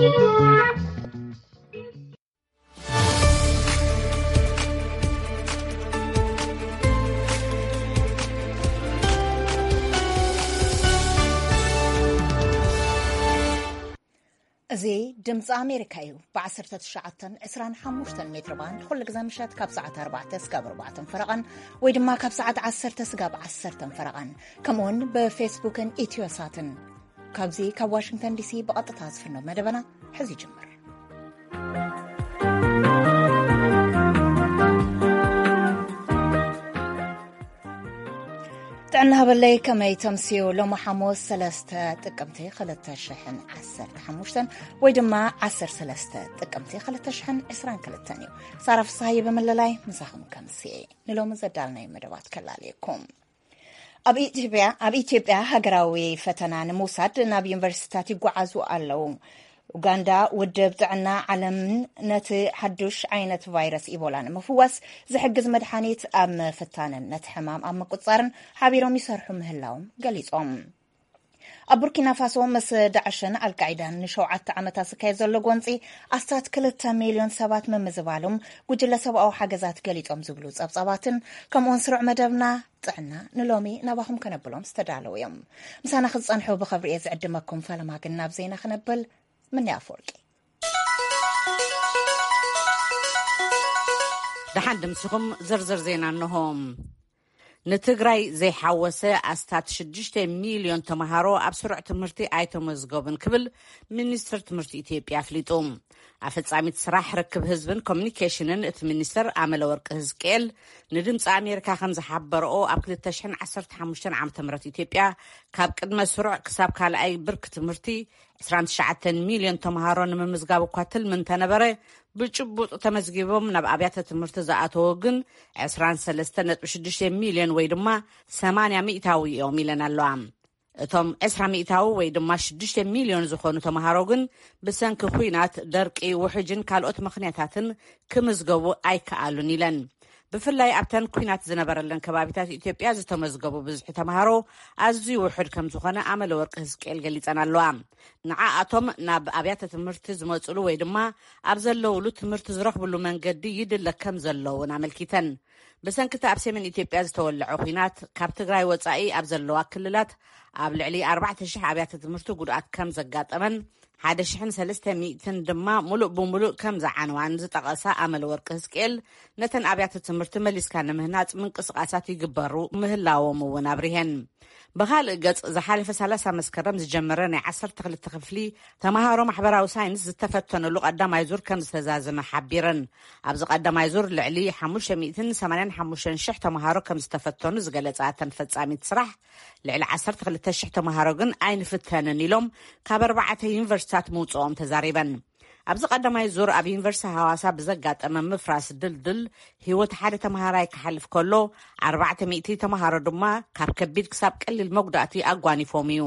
እዚ ድምፂ ኣሜሪካ እዩ። ብ19 25 ሜትር ባንድ ኩሉ ግዜ ምሸት ካብ ሰዓት ኣርባዕተ ስጋብ ኣርባዕተ ፈረቐን ወይ ድማ ካብ ሰዓት ዓሰርተ ስጋብ ዓሰርተ ፈረቐን፣ ከምኡውን ብፌስቡክን ኢትዮሳትን። ካብዚ ካብ ዋሽንግተን ዲሲ ብቐጥታ ዝፍኖ መደበና ሕዚ ይጅምር። ጥዕና ሃበለይ፣ ከመይ ተምስዩ? ሎሚ ሓሙስ ሰለስተ ጥቅምቲ ክልተ ሽሕን ዓሰርተ ሓሙሽተን ወይ ድማ ዓሰርተ ሰለስተ ጥቅምቲ ክልተ ሽሕን ዕስራን ክልተን እዩ። ሳራ ፍስሃየ ብምልላይ ምሳኹም ከምስየ። ንሎሚ ዘዳልናዮ መደባት ከላልየኩም። ኣብ ኢትዮጵያ፣ ኣብ ኢትዮጵያ ሃገራዊ ፈተና ንምውሳድ ናብ ዩኒቨርሲቲታት ይጓዓዙ ኣለዉ። ኡጋንዳ፣ ውድብ ጥዕና ዓለምን ነቲ ሓዱሽ ዓይነት ቫይረስ ኢቦላ ንምፍዋስ ዝሕግዝ መድሓኒት ኣብ ምፍታንን ነቲ ሕማም ኣብ ምቁጽጻርን ሓቢሮም ይሰርሑ ምህላዎም ገሊጾም። ኣብ ቡርኪና ፋሶ ምስ ዳዕሽን ኣልቃይዳን ንሸውዓተ ዓመታት ዝካየድ ዘሎ ጎንጺ ኣስታት ክልተ ሚልዮን ሰባት ምምዝባሎም ጉጅለ ሰብኣዊ ሓገዛት ገሊጾም ዝብሉ ጸብጻባትን ከምኡውን ስሩዕ መደብና ጥዕና ንሎሚ ናባኹም ከነብሎም ዝተዳለዉ እዮም። ምሳና ክትጸንሑ ብኸብሪ እየ ዝዕድመኩም። ፈለማ ግን ናብ ዜና ክነብል። ምኒ ኣፈወርቂ። ደሓን ድምስኹም። ዝርዝር ዜና እንሆ። ንትግራይ ዘይሓወሰ ኣስታት ሽዱሽተ ሚልዮን ተምሃሮ ኣብ ስሩዕ ትምህርቲ ኣይተመዝገቡን ክብል ሚኒስትር ትምህርቲ ኢትዮጵያ ኣፍሊጡ። ኣፈጻሚት ስራሕ ርክብ ህዝብን ኮሚኒኬሽንን እቲ ሚኒስትር ኣመለወርቂ ህዝቅኤል ንድምፂ ኣሜሪካ ከም ዝሓበረኦ፣ ኣብ ክልተ ሽሕን ዓሰርተ ሓሙሽተን ዓመተ ምህረት ኢትዮጵያ ካብ ቅድመ ስሩዕ ክሳብ ካልኣይ ብርኪ ትምህርቲ ዕስራን ትሽዓተን ሚልዮን ተምሃሮ ንምምዝጋብ እኳ ትልሚ እንተነበረ፣ ብጭቡጥ ተመዝጊቦም ናብ ኣብያተ ትምህርቲ ዝኣተወ ግን ዕስራን ሰለስተን ነጥቢ ሽዱሽተ ሚልዮን ወይ ድማ ሰማንያ ሚእታዊ እዮም ኢለን ኣለዋ። እቶም ዕስራ ሚእታዊ ወይ ድማ ሽዱሽተ ሚልዮን ዝኾኑ ተምሃሮ ግን ብሰንኪ ኲናት፣ ደርቂ፣ ውሕጅን ካልኦት ምኽንያታትን ክምዝገቡ ኣይከኣሉን ኢለን። ብፍላይ ኣብተን ኲናት ዝነበረለን ከባቢታት ኢትዮጵያ ዝተመዝገቡ ብዝሒ ተምሃሮ ኣዝዩ ውሑድ ከም ዝኾነ ኣመለወርቂ ህዝቅኤል ገሊጸን ኣለዋ። ንዓኣቶም ናብ ኣብያተ ትምህርቲ ዝመጽሉ ወይ ድማ ኣብ ዘለውሉ ትምህርቲ ዝረኽብሉ መንገዲ ይድለ ከም ዘሎ እውን ኣመልኪተን። ብሰንኪ እቲ ኣብ ሰሜን ኢትዮጵያ ዝተወለዐ ኲናት፣ ካብ ትግራይ ወጻኢ ኣብ ዘለዋ ክልላት ኣብ ልዕሊ ኣርባዕተ ሽሕ ኣብያተ ትምህርቲ ጉድኣት ከም ዘጋጠመን ሓደ ሽሕን ሰለስተ ሚእትን ድማ ሙሉእ ብሙሉእ ከም ዝዓነዋን ዝጠቐሳ ኣመለወርቂ ህዝቅኤል፣ ነተን ኣብያተ ትምህርቲ መሊስካ ንምህናጽ ምንቅስቓሳት ይግበሩ ምህላዎም እውን ኣብሪሀን። ብኻልእ ገጽ፣ ዝሓለፈ ሰላሳ መስከረም ዝጀመረ ናይ ዓሰርተ ክልተ ክፍሊ ተምሃሮ ማሕበራዊ ሳይንስ ዝተፈተኑሉ ቀዳማይ ዙር ከም ዝተዛዘመ ሓቢረን። ኣብዚ ቀዳማይ ዙር ልዕሊ ሓሙሽተ ሚእትን ሰማንያን ሓሙሽተን ሽሕ ተምሃሮ ከም ዝተፈተኑ ዝገለጻ እተን ፈጻሚት ስራሕ፣ ልዕሊ ዓሰርተ ክልተ ሽሕ ተምሃሮ ግን ኣይንፍተንን ኢሎም ካብ ኣርባዕተ ዩኒቨርሲታት ምውጽኦም ተዛሪበን። ኣብዚ ቀዳማይ ዙር ኣብ ዩኒቨርሲቲ ሃዋሳ ብዘጋጠመ ምፍራስ ድልድል ህይወት ሓደ ተምሃራይ ክሓልፍ ከሎ፣ ኣርባዕተ ሚእቲ ተምሃሮ ድማ ካብ ከቢድ ክሳብ ቀሊል መጉዳእቲ ኣጓኒፎም እዩ።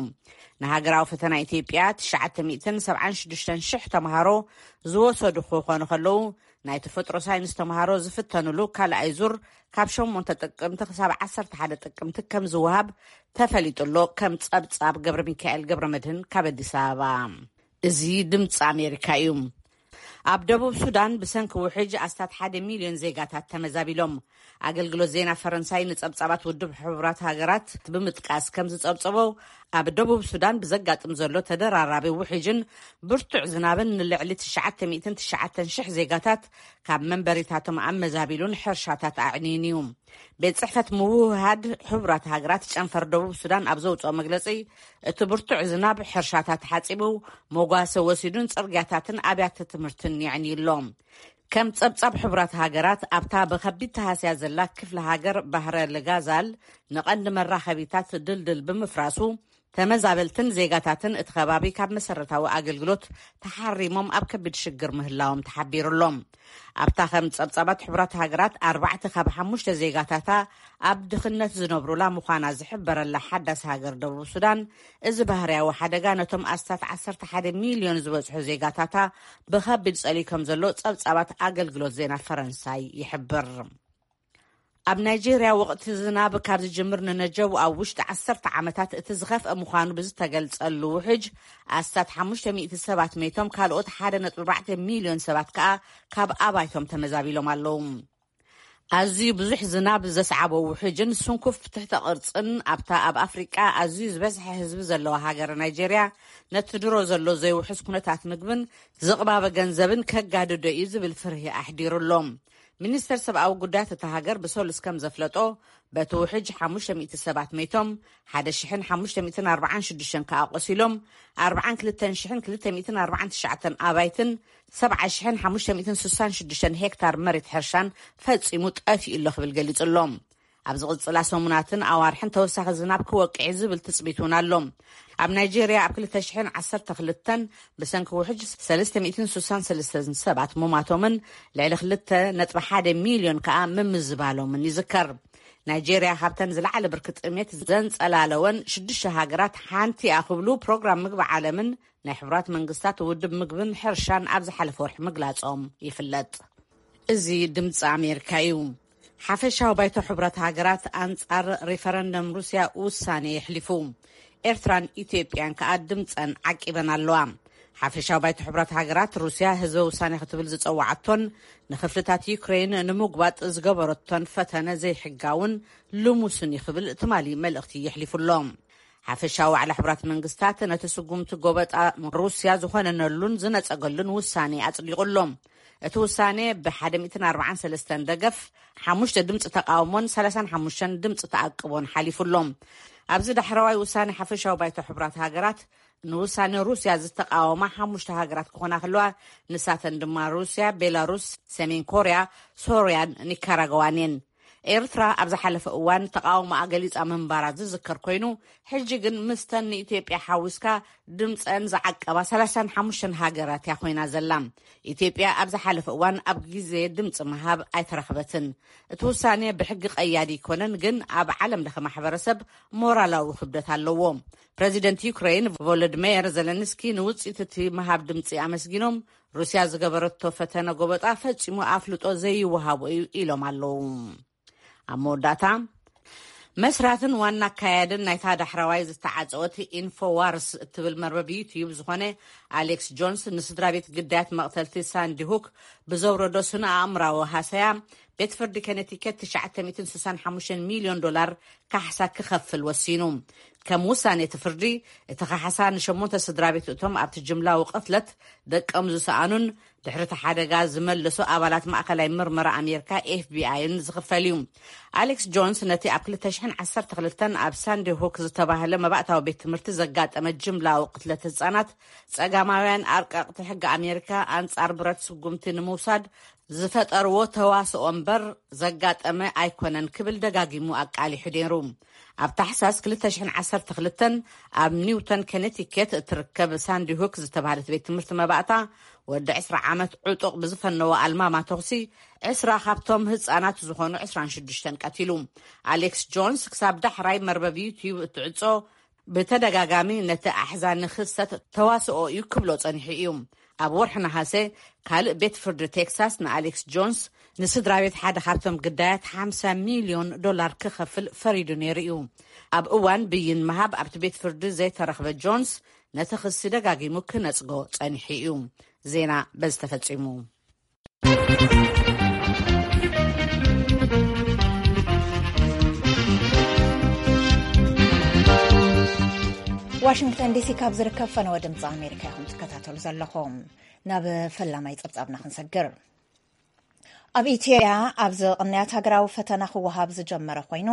ንሃገራዊ ፈተና ኢትዮጵያ ትሽዓተ ሚእትን ሰብዓን ሽዱሽተን ሽሕ ተምሃሮ ዝወሰዱ ክኾኑ ከለዉ፣ ናይ ተፈጥሮ ሳይንስ ተምሃሮ ዝፍተኑሉ ካልኣይ ዙር ካብ ሸሞንተ ጥቅምቲ ክሳብ ዓሰርተ ሓደ ጥቅምቲ ከም ዝወሃብ ተፈሊጡ ኣሎ። ከም ጸብጻብ ገብረ ሚካኤል ገብረ መድህን ካብ ኣዲስ ኣበባ። እዚ ድምፂ ኣሜሪካ እዩ። ኣብ ደቡብ ሱዳን ብሰንኪ ውሕጅ ኣስታት ሓደ ሚልዮን ዜጋታት ተመዛቢሎም። ኣገልግሎት ዜና ፈረንሳይ ንጸብጻባት ውድብ ሕቡራት ሃገራት ብምጥቃስ ከም ዝጸብጸቦ፣ ኣብ ደቡብ ሱዳን ብዘጋጥም ዘሎ ተደራራቢ ውሕጅን ብርቱዕ ዝናብን ንልዕሊ ትሽዓተ ሚእትን ትሽዓተን ሽሕ ዜጋታት ካብ መንበሪታቶም ኣመዛቢሉን ሕርሻታት ኣዕንዩን እዩ። ቤት ጽሕፈት ምውህሃድ ሕቡራት ሃገራት ጨንፈር ደቡብ ሱዳን ኣብ ዘውጽኦ መግለጺ፣ እቲ ብርቱዕ ዝናብ ሕርሻታት ሓጺቡ፣ መጓሰ ወሲዱን ጽርግያታትን ኣብያተ ትምህርትን የዕንዩ ኣሎ። ከም ጸብጻብ ሕቡራት ሃገራት፣ ኣብታ ብኸቢድ ተሃስያ ዘላ ክፍለ ሃገር ባህረ ልጋዛል፣ ንቐንዲ መራኸቢታት ድልድል ብምፍራሱ፣ ተመዛበልትን ዜጋታትን እቲ ከባቢ ካብ መሰረታዊ ኣገልግሎት ተሓሪሞም ኣብ ከቢድ ሽግር ምህላዎም ተሓቢሩ ኣሎ። ኣብታ ከም ጸብጻባት ሕቡራት ሃገራት ኣርባዕተ ካብ ሓሙሽተ ዜጋታታ ኣብ ድኽነት ዝነብሩላ ምዃና ዝሕበረላ ሓዳስ ሃገር ደቡብ ሱዳን፣ እዚ ባህርያዊ ሓደጋ ነቶም ኣስታት ዓሰርተ ሓደ ሚልዮን ዝበጽሑ ዜጋታታ ብኸቢድ ጸልዩ ከም ዘሎ ጸብጻባት ኣገልግሎት ዜና ፈረንሳይ ይሕብር። ኣብ ናይጄርያ ወቕቲ ዝናብ ካብ ዝጅምር ንነጀው ኣብ ውሽጢ ዓሰርተ ዓመታት እቲ ዝኸፍአ ምዃኑ ብዝተገልጸሉ ውሕጅ፣ ኣስታት ሓሙሽተ ሚእቲ ሰባት መይቶም፣ ካልኦት ሓደ ነጥቢ ኣርባዕተ ሚልዮን ሰባት ከኣ ካብ ኣባይቶም ተመዛቢሎም ኣለዉ። ኣዝዩ ብዙሕ ዝናብ ዘስዓቦ ውሕጅን ስንኩፍ ትሕተ ቅርጽን ኣብታ ኣብ ኣፍሪቃ ኣዝዩ ዝበዝሐ ህዝቢ ዘለዋ ሃገር ናይጄርያ፣ ነቲ ድሮ ዘሎ ዘይውሑስ ኩነታት ምግብን ዝቕባበ ገንዘብን ከጋድዶ እዩ ዝብል ፍርሂ ኣሕዲሩ ኣሎ። ሚኒስተር ሰብኣዊ ጉዳያት እታ ሃገር ብሰሉስ ከም ዘፍለጦ፣ በቲ ውሕጅ ሓሙሽተ ሚእቲ ሰባት መይቶም፣ ሓደ ሽሕን ሓሙሽተ ሚእትን ኣርባዓን ሽዱሽተን ከኣ ቆሲሎም፣ ኣርባዓን ክልተን ሽሕን ክልተ ሚእትን ኣርባዓን ትሽዓተን ኣባይትን ሰብዓ ሽሕን ሓሙሽተ ሚእትን ስሳን ሽዱሽተን ሄክታር መሬት ሕርሻን ፈጺሙ ጠፊኡ ኣሎ ክብል ገሊጹ ኣሎ። ኣብ ዝቕጽላ ሰሙናትን ኣዋርሕን ተወሳኺ ዝናብ ክወቅዕ እዩ ዝብል ትጽቢት እውን ኣሎ። ኣብ ናይጄርያ ኣብ ክልተ ሽሕን ዓሰርተ ክልተን ብሰንኪ ውሕጅ ሰለስተ ሚእትን ስሳን ሰለስተን ሰባት ምሟቶምን ልዕሊ ክልተ ነጥቢ ሓደ ሚልዮን ከኣ ምምዝባሎምን ይዝከር። ናይጄርያ ካብተን ዝለዓለ ብርኪ ጥሜት ዘንጸላለወን ሽዱሽተ ሃገራት ሓንቲ እያ ክብሉ ፕሮግራም ምግቢ ዓለምን ናይ ሕቡራት መንግስታት ውድብ ምግብን ሕርሻን ኣብ ዝሓለፈ ወርሒ ምግላጾም ይፍለጥ። እዚ ድምፂ ኣሜሪካ እዩ። ሓፈሻዊ ባይቶ ሕቡራት ሃገራት ኣንጻር ሪፈረንደም ሩስያ ውሳኔ የሕሊፉ። ኤርትራን ኢትዮጵያን ከኣ ድምፀን ዓቂበን ኣለዋ። ሓፈሻዊ ባይቶ ሕቡራት ሃገራት ሩስያ ህዝበ ውሳኔ ክትብል ዝጸዋዓቶን ንክፍልታት ዩክሬን ንምጉባጥ ዝገበረቶን ፈተነ ዘይሕጋውን ልሙስን እዩ ክብል ትማሊ መልእኽቲ የሕሊፉ ኣሎ። ሓፈሻዊ ዋዕላ ሕቡራት መንግስታት ነቲ ስጉምቲ ጎበጣ ሩስያ ዝኾነነሉን ዝነጸገሉን ውሳኔ ኣጽዲቑ ኣሎ። እቲ ውሳኔ ብ ሓደ ሚእትን ኣርባዓን ሰለስተን ደገፍ፣ ሓሙሽተ ድምፂ ተቃውሞን ሰላሳን ሓሙሽተን ድምፂ ተኣቅቦን ሓሊፉ ኣሎ። ኣብዚ ዳሕረዋይ ውሳኔ ሓፈሻዊ ባይቶ ሕቡራት ሃገራት ንውሳኔ ሩስያ ዝተቃወማ ሓሙሽተ ሃገራት ክኾና ከለዋ፣ ንሳተን ድማ ሩስያ፣ ቤላሩስ፣ ሰሜን ኮርያ፣ ሶርያን ኒካራጓዋን እየን። ኤርትራ ኣብ ዝሓለፈ እዋን ተቃውሞኣ ገሊጻ ምንባራ ዝዝከር ኮይኑ፣ ሕጂ ግን ምስተን ንኢትዮጵያ ሓዊስካ ድምጸን ዝዓቀባ ሰላሳን ሓሙሽተን ሃገራት እያ ኮይና ዘላ። ኢትዮጵያ ኣብ ዝሓለፈ እዋን ኣብ ግዜ ድምጺ ምሃብ ኣይተረኽበትን። እቲ ውሳኔ ብሕጊ ቀያዲ ኣይኮነን፣ ግን ኣብ ዓለም ለኸ ማሕበረሰብ ሞራላዊ ክብደት ኣለዎ። ፕረዚደንት ዩክሬን ቮሎድሜር ዘለንስኪ ንውጽኢት እቲ ምሃብ ድምጺ ኣመስጊኖም፣ ሩስያ ዝገበረቶ ፈተነ ጎበጣ ፈጺሙ ኣፍልጦ ዘይወሃቦ እዩ ኢሎም ኣለዉ። ኣብ መወዳእታ፣ መስራትን ዋና ኣካያድን ናይታ ዳሕረዋይ ዝተዓጸወት ኢንፎዋርስ እትብል መርበብ ዩትዩብ ዝኾነ ኣሌክስ ጆንስ፣ ንስድራ ቤት ግዳያት መቕተልቲ ሳንዲ ሁክ ብዘውረዶ ስነ ኣእምራዊ ሃሰያ፣ ቤት ፍርዲ ከነቲከት ትሽዓተ ሚእትን ስሳን ሓሙሽተን ሚልዮን ዶላር ካሕሳ ክኸፍል ወሲኑ። ከም ውሳኔ እቲ ፍርዲ፣ እቲ ካሕሳ ንሸሞንተ ስድራ ቤት እቶም ኣብቲ ጅምላዊ ቅትለት ደቆም ዝሰኣኑን ድሕሪ እቲ ሓደጋ ዝመለሱ ኣባላት ማእከላይ ምርመራ ኣሜሪካ ኤፍቢኣይን ዝኽፈል እዩ። ኣሌክስ ጆንስ ነቲ ኣብ ክልተ ሽሕን ዓሰርተ ክልተን ኣብ ሳንዲ ሁክ ዝተባህለ መባእታዊ ቤት ትምህርቲ ዘጋጠመ ጅምላዊ ቅትለት ህጻናት፣ ጸጋማውያን ኣርቀቕቲ ሕጊ ኣሜሪካ ኣንጻር ብረት ስጉምቲ ንምውሳድ ዝፈጠርዎ ተዋስኦ እምበር ዘጋጠመ ኣይኮነን ክብል ደጋጊሙ ኣቃሊሑ ነይሩ። ኣብ ታሕሳስ ክልተ ሽሕን ዓሰርተ ክልተን ኣብ ኒውተን ከነቲኬት እትርከብ ሳንዲ ሁክ ዝተባህለት ቤት ትምህርቲ መባእታ፣ ወዲ ዕስራ ዓመት ዕጡቕ ብዝፈነዎ ኣልማማ ተኹሲ ዕስራ ካብቶም ህጻናት ዝኾኑ ዕስራን ሽዱሽተን ቀቲሉ። ኣሌክስ ጆንስ ክሳብ ዳሕራይ መርበብ ዩትዩብ እትዕጾ ብተደጋጋሚ ነቲ ኣሕዛኒ ክስተት ተዋስኦ እዩ ክብሎ ጸኒሑ እዩ። ኣብ ወርሒ ነሃሰ፣ ካልእ ቤት ፍርዲ ቴክሳስ ንኣሌክስ ጆንስ፣ ንስድራ ቤት ሓደ ካብቶም ግዳያት፣ ሓምሳ ሚልዮን ዶላር ክኸፍል ፈሪዱ ነይሩ እዩ። ኣብ እዋን ብይን ምሃብ ኣብቲ ቤት ፍርዲ ዘይተረኽበ ጆንስ፣ ነቲ ክሲ ደጋጊሙ ክነጽጎ ጸኒሑ እዩ። ዜና በዚ ተፈጺሙ። ዋሽንግተን ዲሲ ካብ ዝርከብ ፈነወ ድምፂ ኣሜሪካ ኢኹም ትከታተሉ ዘለኹም። ናብ ፈላማይ ጸብጻብና ክንሰግር። ኣብ ኢትዮጵያ ኣብዚ ቅንያት ሃገራዊ ፈተና ክወሃብ ዝጀመረ ኮይኑ፣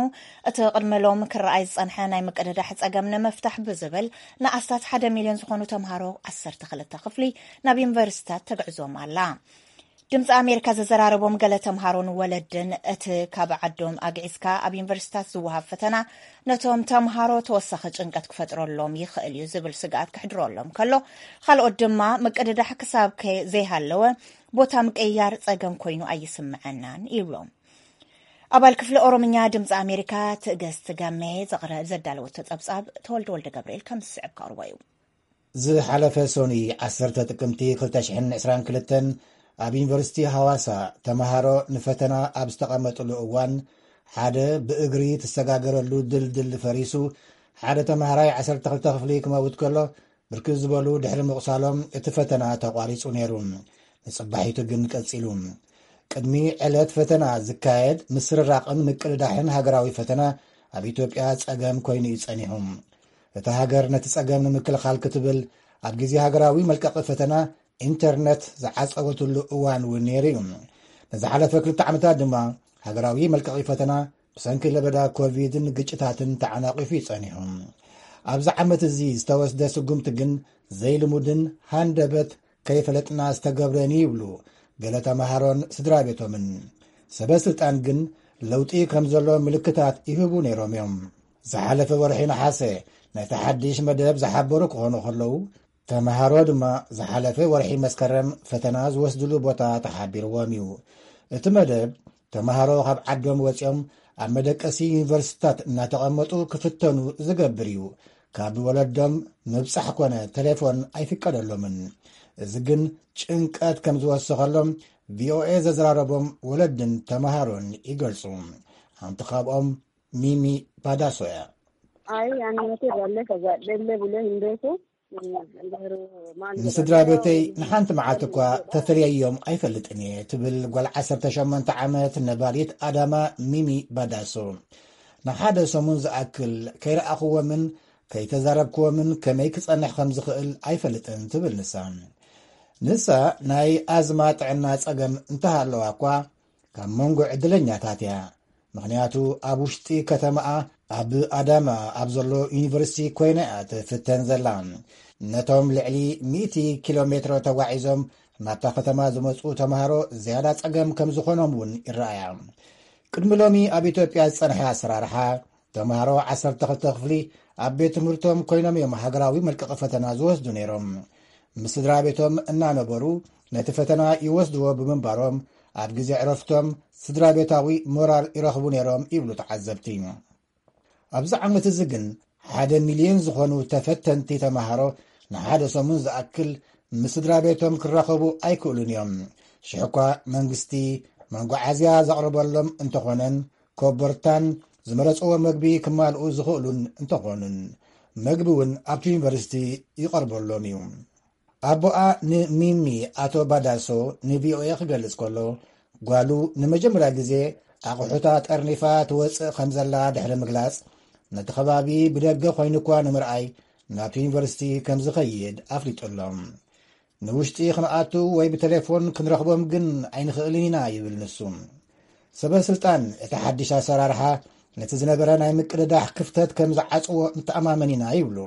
እቲ ቅድሚ ሎም ክረኣይ ዝጸንሐ ናይ ምቅድዳሕ ጸገም ንምፍታሕ ብዝብል ንኣስታት ሓደ ሚልዮን ዝኾኑ ተምሃሮ ዓሰርተ ክልተ ክፍሊ ናብ ዩኒቨርሲታት ተግዕዞም ኣላ። ድምፂ ኣሜሪካ ዘዘራረቦም ገለ ተምሃሮን ወለድን እቲ ካብ ዓዶም ኣግዒዝካ ኣብ ዩኒቨርሲታት ዝወሃብ ፈተና ነቶም ተምሃሮ ተወሳኺ ጭንቀት ክፈጥረሎም ይኽእል እዩ ዝብል ስግኣት ክሕድረሎም ከሎ፣ ካልኦት ድማ ምቅድዳሕ ክሳብ ከ-፣ ዘይሃለወ ቦታ ምቅይያር ጸገም ኮይኑ ኣይስምዐናን ይብሎም። ኣባል ክፍሊ ኦሮምኛ ድምፂ ኣሜሪካ ትእግስት ጋሜ ዘቕረ-፣ ዘዳለወቶ ጸብጻብ ተወልደ ወልደ ገብርኤል ከም ዝስዕብ ከቕርቦ እዩ። ዝሓለፈ ሶኒ ዓሰርተ ጥቅምቲ ክልተ ሽሕን ዕስራን ክልተን ኣብ ዩኒቨርሲቲ ሃዋሳ ተምሃሮ ንፈተና ኣብ ዝተቐመጥሉ እዋን ሓደ ብእግሪ ትሰጋገረሉ ድልድል ፈሪሱ፣ ሓደ ተማሃራይ ዓሰርተ ክልተ ክፍሊ ክመውት ከሎ፣ ብርክት ዝበሉ ድሕሪ ምቑሳሎም እቲ ፈተና ተቋሪጹ ነይሩ። ንጽባሒቱ ግን ቀጺሉ። ቅድሚ ዕለት ፈተና ዝካየድ ምስርራቕን ምቅድዳሕን ሃገራዊ ፈተና ኣብ ኢትዮጵያ ጸገም ኮይኑ እዩ ጸኒሑ። እታ ሃገር ነቲ ጸገም ንምክልኻል ክትብል ኣብ ግዜ ሃገራዊ መልቀቒ ፈተና ኢንተርነት ዝዓጸወትሉ እዋን እውን ነይሩ እዩ። ንዝሓለፈ ክልተ ዓመታት ድማ ሃገራዊ መልቀቒ ፈተና ብሰንኪ ለበዳ ኮቪድን ግጭታትን ተዓናቒፉ እዩ ጸኒሑ። ኣብዚ ዓመት እዚ ዝተወስደ ስጉምቲ ግን ዘይልሙድን ሃንደበት ከይፈለጥና ዝተገብረን እዩ ይብሉ ገለ ተምሃሮን ስድራ ቤቶምን። ሰበ ስልጣን ግን ለውጢ ከም ዘሎ ምልክታት ይህቡ ነይሮም እዮም። ዝሓለፈ ወርሒ ነሓሰ ነቲ ሓድሽ መደብ ዝሓበሩ ክኾኑ ከለዉ፣ ተምሃሮ ድማ ዝሓለፈ ወርሒ መስከረም ፈተና ዝወስድሉ ቦታ ተሓቢርዎም እዩ። እቲ መደብ ተምሃሮ ካብ ዓዶም ወፂኦም ኣብ መደቀሲ ዩኒቨርሲቲታት እናተቐመጡ ክፍተኑ ዝገብር እዩ። ካብ ወለዶም ምብጻሕ ኮነ ቴሌፎን ኣይፍቀደሎምን። እዚ ግን ጭንቀት ከም ዝወሰኸሎም ቪኦኤ ዘዘራረቦም ወለድን ተምሃሮን ይገልጹ። ሓንቲ ካብኦም ሚሚ ባዳሶ እያ። Ay, annote dalle kagadhelle bule hin beeku. ንስድራ ቤተይ ንሓንቲ መዓልቲ እኳ ተፈልየዮም ኣይፈልጥን እየ፣ ትብል ጓል ዓሰርተ ሸሞንተ ዓመት ነባሪት ኣዳማ ሚሚ ባዳሶ። ንሓደ ሰሙን ዝኣክል ከይረኣኽዎምን ከይተዛረብክዎምን ከመይ ክጸንሕ ከም ዝኽእል ኣይፈልጥን፣ ትብል ንሳ። ንሳ ናይ ኣዝማ ጥዕና ጸገም እንተሃለዋ እኳ ካብ መንጎ ዕድለኛታት እያ። ምኽንያቱ ኣብ ውሽጢ ከተማኣ ኣብ ኣዳማ ኣብ ዘሎ ዩኒቨርሲቲ ኮይና እያ ትፍተን ዘላ። ነቶም ልዕሊ ሚእቲ ኪሎ ሜትሮ ተጓዒዞም ናብታ ከተማ ዝመጹ ተምሃሮ ዝያዳ ጸገም ከም ዝኾኖም እውን ይረኣያ። ቅድሚ ሎሚ ኣብ ኢትዮጵያ ዝጸንሐ ኣሰራርሓ፣ ተምሃሮ ዓሰርተ ክልተ ክፍሊ ኣብ ቤት ትምህርቶም ኮይኖም እዮም ሃገራዊ መልቀቒ ፈተና ዝወስዱ ነይሮም። ምስ ስድራ ቤቶም እናነበሩ ነቲ ፈተና ይወስድዎ ብምንባሮም፣ ኣብ ግዜ ዕረፍቶም ስድራ ቤታዊ ሞራል ይረኽቡ ነይሮም ይብሉ ተዓዘብቲ። ኣብዚ ዓመት እዚ ግን ሓደ ሚልዮን ዝኾኑ ተፈተንቲ ተምሃሮ ንሓደ ሰሙን ዝኣክል ምስ ስድራ ቤቶም ክራኸቡ ኣይክእሉን እዮም። ሽሕኳ መንግስቲ መጓዓዝያ ዘቕርበሎም እንተኾነን፣ ኮቦርታን ዝመረጽዎ መግቢ ክማልኡ ዝኽእሉን እንተኾኑን፣ መግቢ እውን ኣብቲ ዩኒቨርሲቲ ይቐርበሎም እዩ። ኣቦኣ ንሚሚ ኣቶ ባዳሶ ንቪኦኤ ክገልጽ ከሎ፣ ጓሉ ንመጀመርያ ግዜ ኣቑሑታ ጠርኒፋ ትወጽእ ከም ዘላ ድሕሪ ምግላጽ፣ ነቲ ከባቢ ብደገ ኮይኑ እኳ ንምርኣይ ናብቲ ዩኒቨርሲቲ ከም ዝኸይድ ኣፍሊጡሎም። ንውሽጢ ክንኣቱ ወይ ብቴሌፎን ክንረኽቦም ግን ኣይንኽእልን ኢና ይብል ንሱ። ሰበ ስልጣን እቲ ሓድሽ ኣሰራርሓ ነቲ ዝነበረ ናይ ምቅድዳሕ ክፍተት ከም ዝዓጽዎ ንተኣማመን ኢና ይብሉ።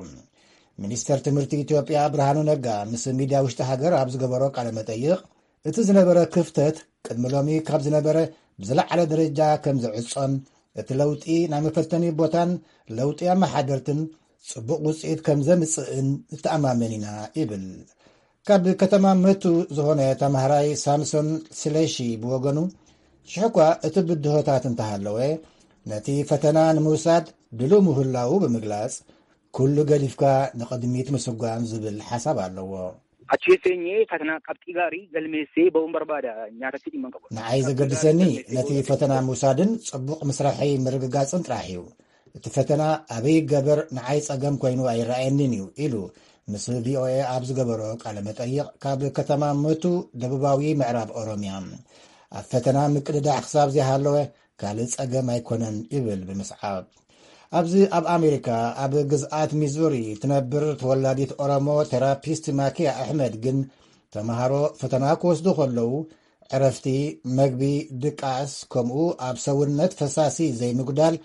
ሚኒስተር ትምህርቲ ኢትዮጵያ ብርሃኑ ነጋ ምስ ሚድያ ውሽጢ ሃገር ኣብ ዝገበሮ ቃለ መጠይቕ፣ እቲ ዝነበረ ክፍተት ቅድሚ ሎሚ ካብ ዝነበረ ብዝለዓለ ደረጃ ከም ዝዕጾን እቲ ለውጢ ናይ መፈተኒ ቦታን ለውጢ ኣመሓደርትን ጽቡቕ ውጽኢት ከም ዘምጽእን ንተኣማመን ኢና ይብል። ካብ ከተማ መቱ ዝኾነ ተምሃራይ ሳምሶን ስለሺ ብወገኑ፣ ሽሕኳ እቲ ብድሆታት እንተሃለወ፣ ነቲ ፈተና ንምውሳድ ድሉው ምህላዉ ብምግላጽ፣ ኩሉ ገዲፍካ ንቕድሚት ምስጓም ዝብል ሓሳብ ኣለዎ። Achi senyee fatanaa qabxii gaarii galmeessee ba'uun barbaada, nyaatatti dhimma hin qabu. ንዓይ ዘገድሰኒ ነቲ ፈተና ምውሳድን ጽቡቕ ምስራሐይ ምርግጋጽን ጥራሕ እዩ። እቲ ፈተና ኣበይ ይገበር ንዓይ ጸገም ኮይኑ ኣይረኣየንን እዩ ኢሉ ምስ ቪኦኤ ኣብ ዝገበሮ ቃለ መጠይቕ ካብ ከተማ መቱ ደቡባዊ ምዕራብ ኦሮምያ። ኣብ ፈተና ምቅድዳሕ ክሳብ ዘይሃለወ ካልእ ጸገም ኣይኮነን ይብል ብምስዓብ። ኣብዚ ኣብ ኣሜሪካ ኣብ ግዝኣት ሚዙሪ ትነብር ተወላዲት ኦሮሞ ቴራፒስት ማኪያ ኣሕመድ ግን ተምሃሮ ፈተና ክወስዱ ከለዉ ዕረፍቲ፣ መግቢ፣ ድቃስ ከምኡ ኣብ ሰውነት ፈሳሲ ዘይምጉዳል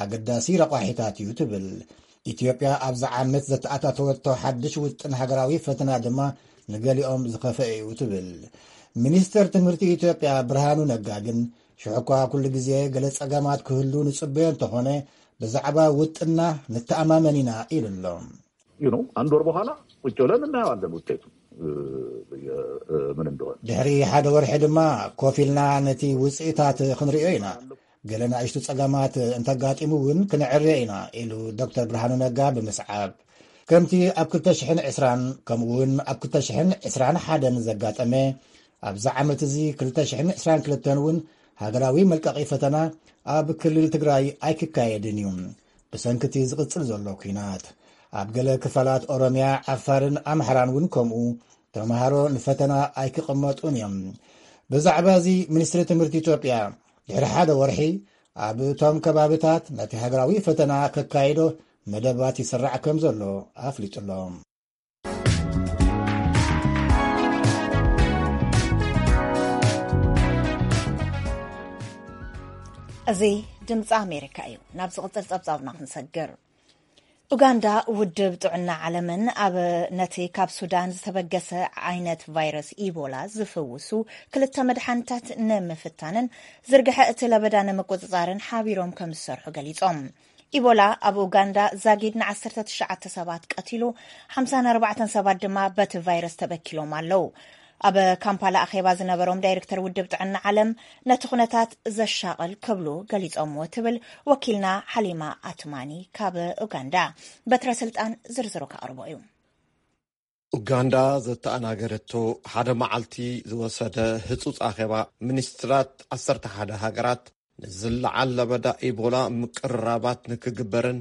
ኣገዳሲ ረቋሒታት እዩ ትብል። ኢትዮጵያ ኣብዚ ዓመት ዘተኣታተወቶ ሓድሽ ውጥን ሃገራዊ ፈተና ድማ ንገሊኦም ዝኸፈአ እዩ ትብል። ሚኒስተር ትምህርቲ ኢትዮጵያ ብርሃኑ ነጋ ግን ሽሕኳ ኩሉ ግዜ ገለ ጸገማት ክህሉ ንጽበዮ እንተኾነ ብዛዕባ ውጥና ንተኣማመን ኢና ኢሉ ኣሎ። You know አንድ ወር በኋላ ቁጭ ብለን እናየዋለን ውጤቱ ምን እንደሆነ። ድሕሪ ሓደ ወርሒ ድማ ኮፍ ኢልና ነቲ ውፅኢታት ክንሪኦ ኢና። ገለ ንኣሽቱ ፀገማት እንተጋጢሙ እውን ክንዕርዮ ኢና ኢሉ ዶክተር ብርሃኑ ነጋ ብምስዓብ፣ ከምቲ ኣብ ክልተ ሽሕን ዕስራን ከምኡ እውን ኣብ ክልተ ሽሕን ዕስራን ሓደን ዘጋጠመ ኣብዚ ዓመት እዚ ክልተ ሽሕን ዕስራን ክልተን እውን ሃገራዊ መልቀቒ ፈተና ኣብ ክልል ትግራይ ኣይክካየድን እዩ፣ ብሰንኪ እቲ ዝቕጽል ዘሎ ኲናት። ኣብ ገለ ክፋላት ኦሮምያ፣ ዓፋርን ኣምሓራን እውን ከምኡ ተምሃሮ ንፈተና ኣይክቕመጡን እዮም። ብዛዕባ እዚ፣ ሚኒስትሪ ትምህርቲ ኢትዮጵያ ድሕሪ ሓደ ወርሒ ኣብ እቶም ከባብታት ነቲ ሃገራዊ ፈተና ከካይዶ መደባት ይስራዕ ከም ዘሎ ኣፍሊጡ ኣሎ። እዚ ድምፂ ኣሜሪካ እዩ። ናብ ዝቕፅል ፀብፃብና ክንሰግር። ኡጋንዳ፣ ውድብ ጥዕና ዓለምን ኣብ ነቲ ካብ ሱዳን ዝተበገሰ ዓይነት ቫይረስ ኢቦላ ዝፍውሱ ክልተ መድሓኒታት ንምፍታንን ዝርግሐ እቲ ለበዳ ንምቁፅፃርን ሓቢሮም ከም ዝሰርሑ ገሊፆም። ኢቦላ ኣብ ኡጋንዳ ዛጊድ ን ዓሰርተ ትሽዓተ ሰባት ቀቲሉ፣ ሓምሳን ኣርባዕተን ሰባት ድማ በቲ ቫይረስ ተበኪሎም ኣለዉ። ኣብ ካምፓላ ኣኼባ ዝነበሮም ዳይሬክተር ውድብ ጥዕና ዓለም፣ ነቲ ኩነታት ዘሻቕል ክብሉ ገሊጾምዎ ትብል ወኪልና ሓሊማ ኣትማኒ ካብ ኡጋንዳ። በትረ ስልጣን ዝርዝሩ ከቕርቦ እዩ። ኡጋንዳ ዘተኣናገደቶ ሓደ መዓልቲ ዝወሰደ ህጹጽ ኣኼባ፣ ሚኒስትራት ዓሰርተ ሓደ ሃገራት ንዝለዓል ለበዳ ኢቦላ ምቅርራባት ንክግበርን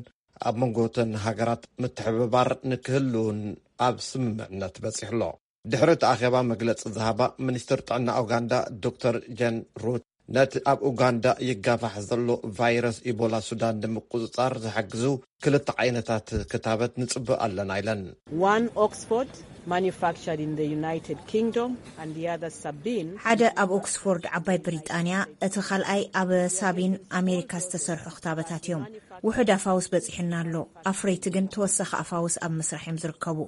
ኣብ መንጎ እተን ሃገራት ምትሕብባር ንክህልውን ኣብ ስምምዕነት በጺሑ ኣሎ። ድሕሪ እቲ ኣኼባ መግለጺ ዝሃባ ሚኒስትር ጥዕና ኡጋንዳ ዶክተር ጀን ሩት፣ ነቲ ኣብ ኡጋንዳ ይጋፋሕ ዘሎ ቫይረስ ኢቦላ ሱዳን ንምቁጽጻር ዝሕግዙ ክልተ ዓይነታት ክታበት ንጽበ ኣለና ኢለን። One Oxford, manufactured in the United Kingdom, and the other Sabin. ሓደ ኣብ ኦክስፎርድ፣ ዓባይ ብሪጣንያ፣ እቲ ካልኣይ ኣብ ሳቢን ኣሜሪካ ዝተሰርሑ ክታበታት እዮም። ውሑድ ኣፋውስ በጺሑና ኣሎ። ኣፍረይቲ ግን ተወሳኺ ኣፋውስ ኣብ ምስራሕ እዮም ዝርከቡ።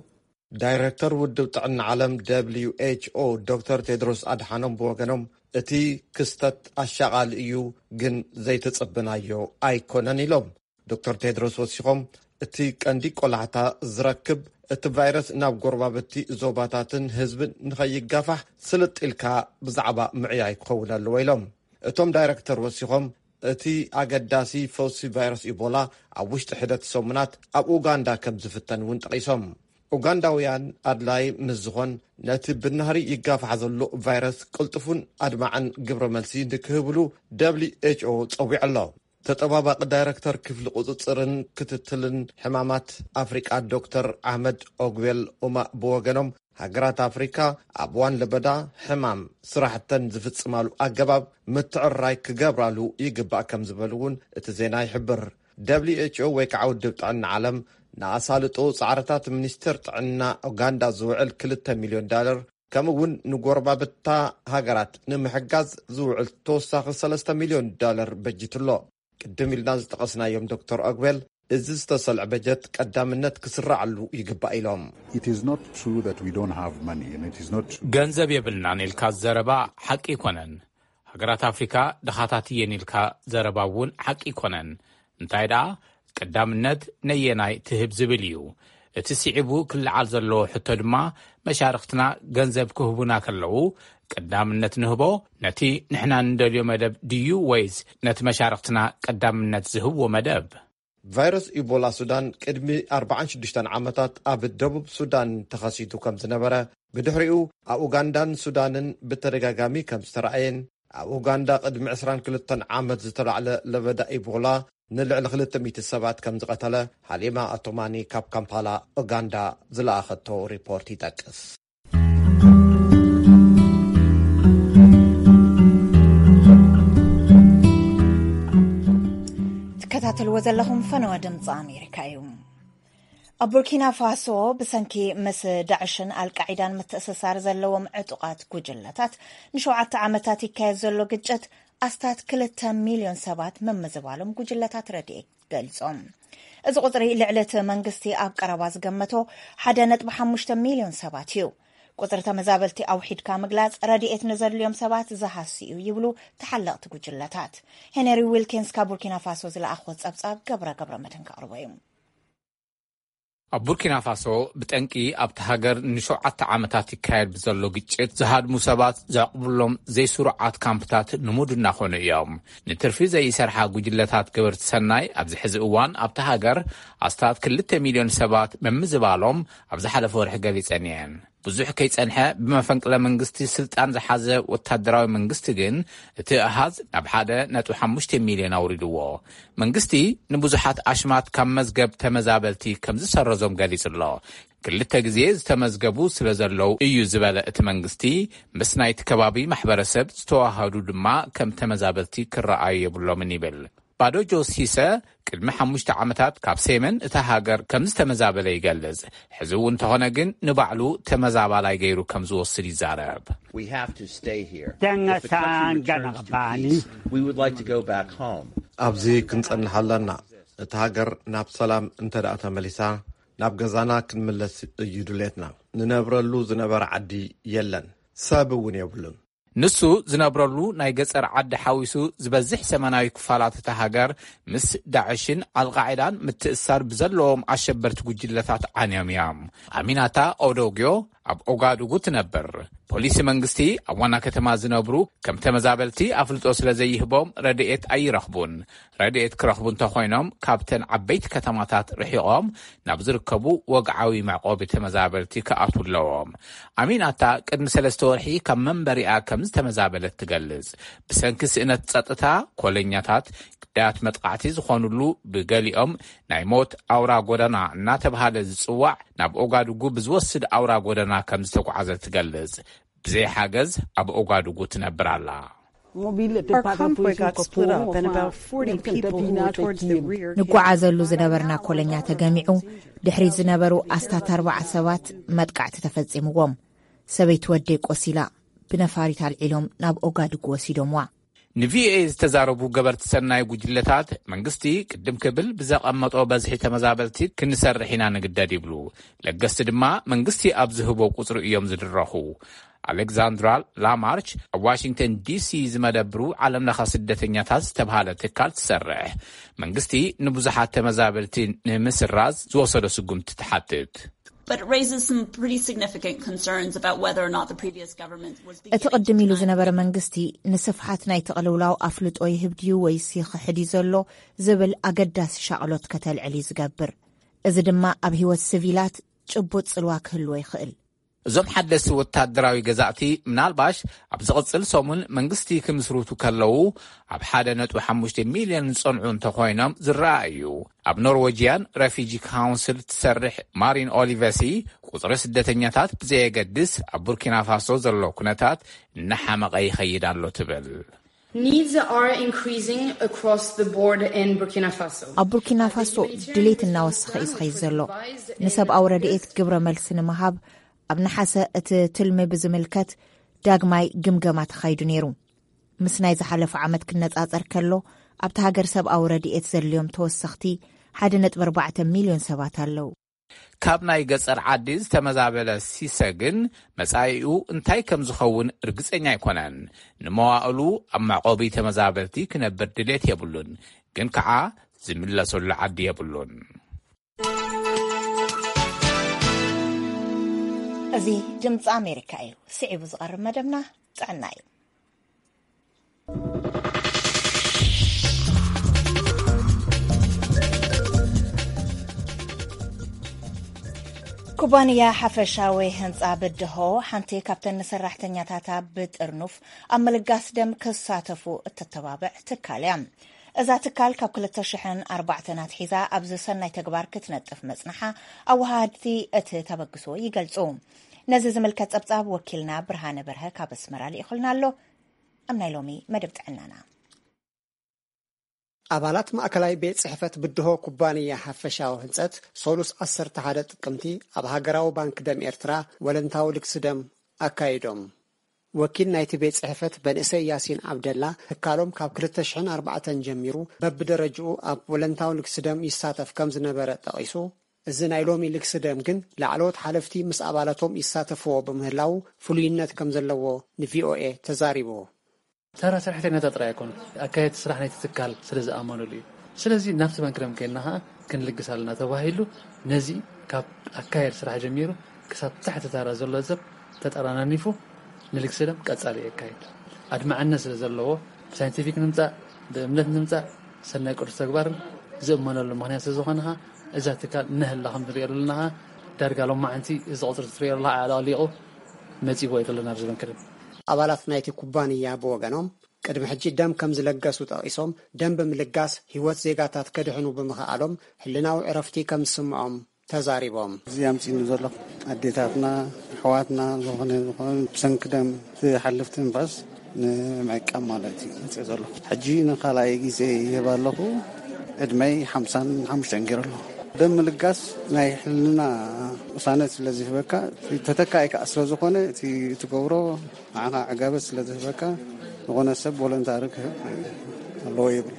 ዳይረክተር ውድብ ጥዕና ዓለም ደብልዩ ኤች ኦ ዶክተር ቴድሮስ ኣድሓኖም ብወገኖም፣ እቲ ክስተት ኣሻቓሊ እዩ፣ ግን ዘይተጸበናዮ ኣይኮነን ኢሎም። ዶክተር ቴድሮስ ወሲኾም፣ እቲ ቀንዲ ቆላሕታ ዝረክብ እቲ ቫይረስ ናብ ጎረባብቲ ዞባታትን ህዝብን ንኸይጋፋሕ ስልጥ ኢልካ ብዛዕባ ምዕያይ ክኸውን ኣለዎ ኢሎም። እቶም ዳይረክተር ወሲኾም፣ እቲ ኣገዳሲ ፈውሲ ቫይረስ ኢቦላ ኣብ ውሽጢ ሕደት ሰሙናት ኣብ ኡጋንዳ ከም ዝፍተን እውን ጠቒሶም። ኡጋንዳውያን ኣድላይ ምስ ዝኾን፣ ነቲ ብናህሪ ይጋፋሕ ዘሎ ቫይረስ ቅልጡፉን ኣድማዕን ግብረ መልሲ ንክህብሉ ደብልዩ ኤች ኦ ጸዊዑ ኣሎ። ተጠባባቂ ዳይረክተር ክፍሊ ቁጽጽርን ክትትልን ሕማማት ኣፍሪቃ ዶክተር ኣሕመድ ኦግቤል ኡማ ብወገኖም፣ ሃገራት ኣፍሪካ ኣብ እዋን ለበዳ ሕማም ስራሕተን ዝፍጽማሉ ኣገባብ ምትዕርራይ ክገብራሉ ይግባእ ከም ዝበሉ እውን እቲ ዜና ይሕብር። ደብልዩ ኤች ኦ ወይ ከዓ ውድብ ጥዕና ዓለም ንኣሳልጦ ጻዕርታት ሚኒስቴር ጥዕና ኡጋንዳ ዝውዕል ክልተ ሚልዮን ዳለር፣ ከምኡ እውን ንጎረባብታ ሃገራት ንምሕጋዝ ዝውዕል ተወሳኺ ሰለስተ ሚልዮን ዳለር በጂቱ ኣሎ። ቅድም ኢልና ዝጠቐስናዮም ዶክተር ኦግቤል፣ እዚ ዝተሰልዐ በጀት ቀዳምነት ክስራዓሉ ይግባእ ኢሎም። It is not true that we don't have money, and it is not true. ገንዘብ የብልናን ኢልካ ዘረባ ሓቂ ኣይኮነን። ሃገራት ኣፍሪካ ድኻታት እየን ኢልካ ዘረባ እውን ሓቂ ኣይኮነን። እንታይ ደኣ፣ ቀዳምነት ነየናይ ትህብ ዝብል እዩ። እቲ ስዒቡ ክለዓል ዘለዎ ሕቶ ድማ፣ መሻርኽትና ገንዘብ ክህቡና ከለዉ፣ ቀዳምነት ንህቦ ነቲ ንሕና ንደልዮ መደብ ድዩ፣ ወይስ ነቲ መሻርኽትና ቀዳምነት ዝህብዎ መደብ? ቫይረስ ኢቦላ ሱዳን ቅድሚ ኣርባዓን ሽዱሽተን ዓመታት ኣብ ደቡብ ሱዳን ተኸሲቱ ከም ዝነበረ፣ ብድሕሪኡ ኣብ ኡጋንዳን ሱዳንን ብተደጋጋሚ ከም ዝተረኣየን፣ ኣብ ኡጋንዳ ቅድሚ ዕስራን ክልተን ዓመት ዝተላዕለ ለበዳ ኢቦላ ንልዕሊ ክልተ ሚእቲ ሰባት ከም ዝቐተለ፣ ሃሊማ ኣቶማኒ ካብ ካምፓላ ኡጋንዳ ዝለኣኸቶ ሪፖርት ይጠቅስ። ትከታተልዎ ዘለኹም ፈነወ ድምፂ ኣሜሪካ እዩ። ኣብ ቡርኪና ፋሶ፣ ብሰንኪ ምስ ዳዕሽን ኣልቃዒዳን ምትእስሳር ዘለዎም ዕጡቓት ጉጅለታት ንሸውዓተ ዓመታት ይካየድ ዘሎ ግጭት ኣስታት ክልተ ሚልዮን ሰባት ምምዝባሎም ጉጅለታት ረድኤት ገሊጾም። እዚ ቁጽሪ፣ ልዕሊ እቲ መንግስቲ ኣብ ቀረባ ዝገመቶ ሓደ ነጥቢ ሓሙሽተ ሚልዮን ሰባት እዩ። ቁጽሪ ተመዛበልቲ ኣውሒድካ ምግላጽ፣ ረድኤት ንዘድልዮም ሰባት ዝሃሲ እዩ ይብሉ ተሓለቕቲ ጉጅለታት። ሄነሪ ዊልኪንስ ካብ ቡርኪና ፋሶ ዝለኣኽዎ ጸብጻብ፣ ገብረ ገብረ መድህን ከቕርቦ እዩ። ኣብ ቡርኪና ፋሶ፣ ብጠንቂ ኣብቲ ሃገር ንሸውዓተ ዓመታት ይካየድ ብዘሎ ግጭት፣ ዝሃድሙ ሰባት ዘዕቕብሎም ዘይስሩዓት ካምፕታት ንሙድ እናኾኑ እዮም። ንትርፊ ዘይሰርሓ ጉጅለታት ገበርቲ ሰናይ፣ ኣብዚ ሕዚ እዋን ኣብቲ ሃገር ኣስታት ክልተ ሚልዮን ሰባት ምምዝባሎም ኣብ ዝሓለፈ ወርሒ ገሊጸን እየን። ብዙሕ ከይጸንሐ ብመፈንቅለ መንግስቲ ስልጣን ዝሓዘ ወታደራዊ መንግስቲ ግን እቲ ኣሃዝ ናብ ሓደ ነጥቢ ሓሙሽተ ሚልዮን ኣውሪድዎ። መንግስቲ ንብዙሓት ኣሽማት ካብ መዝገብ ተመዛበልቲ ከም ዝሰረዞም ገሊጹ ኣሎ። ክልተ ግዜ ዝተመዝገቡ ስለ ዘለዉ እዩ ዝበለ እቲ መንግስቲ፣ ምስ ናይቲ ከባቢ ማሕበረሰብ ዝተዋሃዱ ድማ ከም ተመዛበልቲ ክረኣዩ የብሎምን ይብል። ባዶ ጆሲሰ ቅድሚ ሓሙሽተ ዓመታት ካብ ሰሜን እታ ሃገር ከም ዝተመዛበለ ይገልጽ። ሕዚ እውን እንተኾነ ግን ንባዕሉ ተመዛባላይ ገይሩ ከም ዝወስድ ይዛረብ። Tenga sanga na bani. ኣብዚ ክንጸንሕ ኣለና። እቲ ሃገር ናብ ሰላም እንተ ደኣ ተመሊሳ ናብ ገዛና ክንምለስ እዩ ድሌትና። ንነብረሉ ዝነበረ ዓዲ የለን፣ ሰብ እውን የብሉን። ንሱ ዝነብረሉ ናይ ገጸር ዓዲ ሓዊሱ ዝበዝሕ ሰመናዊ ክፋላት እታ ሃገር ምስ ዳዕሽን ኣልቃዒዳን ምትእሳር ብዘለዎም ኣሸበርቲ ጉጅለታት ዓንዮም እዮም። ኣሚናታ ኦዶግዮ ኣብ ኦጋዱጉ ትነብር። ፖሊሲ መንግስቲ ኣብ ዋና ከተማ ዝነብሩ ከም ተመዛበልቲ ኣፍልጦ ስለ ዘይህቦም ረድኤት ኣይረኽቡን። ረድኤት ክረኽቡ እንተኾይኖም ካብተን ዓበይቲ ከተማታት ርሒቖም ናብ ዝርከቡ ወግዓዊ መዕቆቢ ተመዛበልቲ ክኣትዉ ኣለዎም። ኣሚናታ ቅድሚ ሰለስተ ወርሒ ካብ መንበሪኣ ከም ዝተመዛበለት ትገልጽ። ብሰንኪ ስእነት ጸጥታ ኮለኛታት ግዳያት መጥቃዕቲ ዝኾኑሉ ብገሊኦም ናይ ሞት ኣውራ ጎደና እናተብሃለ ዝጽዋዕ ናብ ኦጋዱጉ ብዝወስድ ኣውራ ጎደና ከም ዝተጓዓዘ ትገልጽ። ብዘይ ሓገዝ ኣብ ኦጋዱጉ ትነብር ኣላ። Our convoy got split up and about forty people who were towards the rear. ንጓዓዘሉ ዝነበርና ኮለኛ ተገሚዑ፣ ድሕሪት ዝነበሩ ኣስታት ኣርባዓ ሰባት መጥቃዕቲ ተፈጺምዎም። ሰበይቲ ወደይ ቆሲላ፣ ብነፋሪት ኣልዒሎም ናብ ኦጋዱጉ ወሲዶምዋ። ንቪኦኤ ዝተዛረቡ ገበርቲ ሰናይ ጉጅለታት፣ መንግስቲ ቅድም ክብል ብዘቐመጦ በዝሒ ተመዛበልቲ ክንሰርሕ ኢና ንግደድ ይብሉ። ለገስቲ ድማ መንግስቲ ኣብ ዝህቦ ቁጽሪ እዮም ዝድረኹ። ኣሌክዛንድራ ላማርች ኣብ ዋሽንግተን ዲሲ ዝመደብሩ ዓለምለኸ ስደተኛታት ዝተብሃለ ትካል ትሰርሕ። መንግስቲ ንብዙሓት ተመዛበልቲ ንምስራዝ ዝወሰዶ ስጉምቲ ትሓትት። But it raises some pretty significant concerns about whether or not the previous government was እቲ ቅድም ኢሉ ዝነበረ መንግስቲ ንስፍሓት ናይ ተቕልውላው ኣፍልጦ ይህብ ድዩ ወይስ ይኽሕድ እዩ ዘሎ ዝብል ኣገዳሲ ሻቕሎት ከተልዕል እዩ ዝገብር። እዚ ድማ ኣብ ህይወት ስቪላት ጭቡጥ ጽልዋ ክህልዎ ይኽእል። እዞም ሓደስቲ ወታደራዊ ገዛእቲ ምናልባሽ ኣብ ዝቕጽል ሰሙን መንግስቲ ክምስርቱ ከለዉ ኣብ ሓደ ነጥቢ ሓሙሽተ ሚልዮን ዝጸንዑ እንተኾይኖም ዝረኣ እዩ። ኣብ ኖርወጂያን ረፊጂ ካውንስል ትሰርሕ ማሪን ኦሊቨሲ፣ ቁጽሪ ስደተኛታት ብዘየገድስ ኣብ ቡርኪና ፋሶ ዘሎ ኩነታት እናሓመቐ ይኸይድ ኣሎ ትብል። Needs are increasing across the board in Burkina Faso. ኣብ ቡርኪና ፋሶ ድሌት እናወሰኸ እዩ ዝኸይድ ዘሎ። ንሰብኣዊ ረድኤት ግብረ መልሲ ንምሃብ ኣብ ነሓሰ እቲ ትልሚ ብዝምልከት ዳግማይ ግምገማ ተኻይዱ ነይሩ። ምስ ናይ ዝሓለፈ ዓመት ክነጻጸር ከሎ ኣብቲ ሃገር ሰብኣዊ ረድኤት ዘድልዮም ተወሰኽቲ ሓደ ነጥቢ ኣርባዕተ ሚልዮን ሰባት ኣለዉ። ካብ ናይ ገጸር ዓዲ ዝተመዛበለ ሲሰ ግን መጻኢኡ እንታይ ከም ዝኸውን ርግጸኛ ኣይኮነን። ንመዋእሉ ኣብ መዕቆቢ ተመዛበልቲ ክነብር ድሌት የብሉን፣ ግን ከኣ ዝምለሰሉ ዓዲ የብሉን። እዚ ድምፂ ኣሜሪካ እዩ። ስዒቡ ዝቐርብ መደብና ጥዕና እዩ። ኩባንያ ሓፈሻዊ ህንፃ ብድሆ ሓንቲ ካብተን ንሰራሕተኛታታ ብጥርኑፍ ኣብ ምልጋስ ደም ክሳተፉ እተተባብዕ ትካል እያ። እዛ ትካል ካብ ክልተ ሽሕን ኣርባዕተን ኣትሒዛ ኣብዚ ሰናይ ተግባር ክትነጥፍ መጽንሓ ኣወሃሃድቲ እቲ ተበግሶ ይገልጹ። ነዚ ዝምልከት ጸብጻብ ወኪልና ብርሃነ በርሀ ካብ ኣስመራ ልኢኹልና ኣሎ። ኣብ ናይ ሎሚ መደብ ጥዕናና። ኣባላት ማእከላይ ቤት ጽሕፈት ብድሆ ኩባንያ ሓፈሻዊ ህንጸት ሰሉስ ዓሰርተ ሓደ ጥቅምቲ ኣብ ሃገራዊ ባንክ ደም ኤርትራ ወለንታዊ ልግሲ ደም ኣካይዶም። ወኪል ናይቲ ቤት ጽሕፈት መንእሰይ ያሲን ዓብደላ፣ ትካሎም ካብ ክልተ ሽሕን ኣርባዕተን ጀሚሩ በብደረጅኡ ኣብ ወለንታዊ ልግሲ ደም ይሳተፍ ከም ዝነበረ ጠቒሱ፣ እዚ ናይ ሎሚ ልግሲ ደም ግን ላዕለዎት ሓለፍቲ ምስ ኣባላቶም ይሳተፍዎ ብምህላዉ ፍሉይነት ከም ዘለዎ ንቪኦኤ ተዛሪቡ። ተራ ሰራሕተኛታት ጥራይ ኣይኮኑን፣ ኣካየድቲ ስራሕ ናይቲ ትካል ስለ ዝኣመኑሉ እዩ። ስለዚ ናብቲ ባንክ ደም ከይድና ኸኣ ክንልግስ ኣለና ተባሂሉ፣ ነዚ ካብ ኣካየድ ስራሕ ጀሚሩ ክሳብ ታሕቲ ተራ ዘሎ ሰብ ተጠራናኒፉ ንልግሲ ደም ቀጻሊ የካይድ። ኣድማዕነት ስለ ዘለዎ፣ ብሳይንቲፊክ ንምጻእ፣ ብእምነት ንምጻእ፣ ሰናይ ቅዱስ ተግባርን ዝእመነሉ ምኽንያት ስለ ዝኾነ ኸኣ፣ እዛ ትካል ነህላ ከም ንሪኦ ዘለና ኸኣ፣ ዳርጋ ሎማዓንቲ እዚ ቁፅሪ ትሪኦ ኣለኻ ኣዕለቕሊቑ መፂእዎ እዩ ዘሎ ናብዚ ባንክ ደም። ኣባላት ናይቲ ኩባንያ ብወገኖም፣ ቅድሚ ሕጂ ደም ከም ዝለገሱ ጠቒሶም፣ ደም ብምልጋስ ህይወት ዜጋታት ከድሕኑ ብምኽኣሎም፣ ሕልናዊ ዕረፍቲ ከም ዝስምዖም ተዛሪቦም። እዚ ኣምፂኑ ዘሎ ኣዴታትና፣ ኣሕዋትና፣ ዝኾነ ዝኾነ ብሰንኪ ደም ዝሓልፍ ትንፋስ ንምዕቃብ ማለት እዩ መፅእ ዘሎ። ሕጂ ንኻልኣይ ግዜ ይህብ ኣለኹ። ዕድመይ ሓምሳን ሓሙሽተን ገይሩ ኣለኹ። ደም ምልጋስ ናይ ሕልና ውሳነ ስለ ዝህበካ፣ ተተካኢካ ስለ ዝኾነ፣ እቲ ትገብሮ ንዓኻ ዕጋበት ስለ ዝህበካ፣ ዝኾነ ሰብ ቮለንታሪ ክህብ ኣለዎ ይብል።